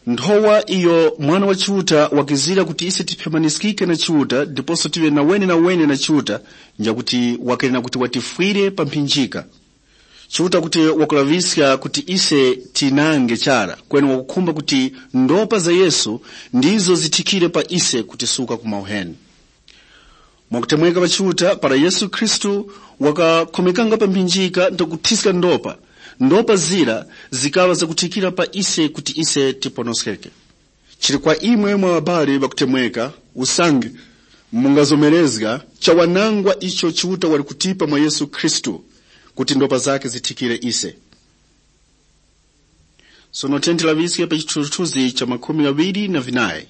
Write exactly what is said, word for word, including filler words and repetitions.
Nthowa iyo Mwana wa Chiuta wakizira kuti ise tiphyamaniskike na Chiuta ndiposo tive na wenenawene na Chiuta, njakuti wakenera kuti watifwire pa mphinjika. Chiuta kuti wakulaŵiska kuti ise tinange chara, kweni wakukhumba kuti ndopa za Yesu ndizo zithikire pa ise kutisuka ku mauheni. Mwakutemweka pa Chiuta, para Yesu Khristu wakakhomekanga pa mphinjika ndakuthiska ndopa, ndopa zira zikaŵa zakuthikira pa ise kuti ise tiponoskeke. Chili kwa imwe mwa ŵabali ŵakutemweka, usange mungazomerezga chawanangwa icho Chiuta wali kutipa mwa Yesu Khristu, kuti ndopa zake zithikire ise. Sono tenti laŵiske pa chithunzithunzi cha makhumi ghawiri na vinayi.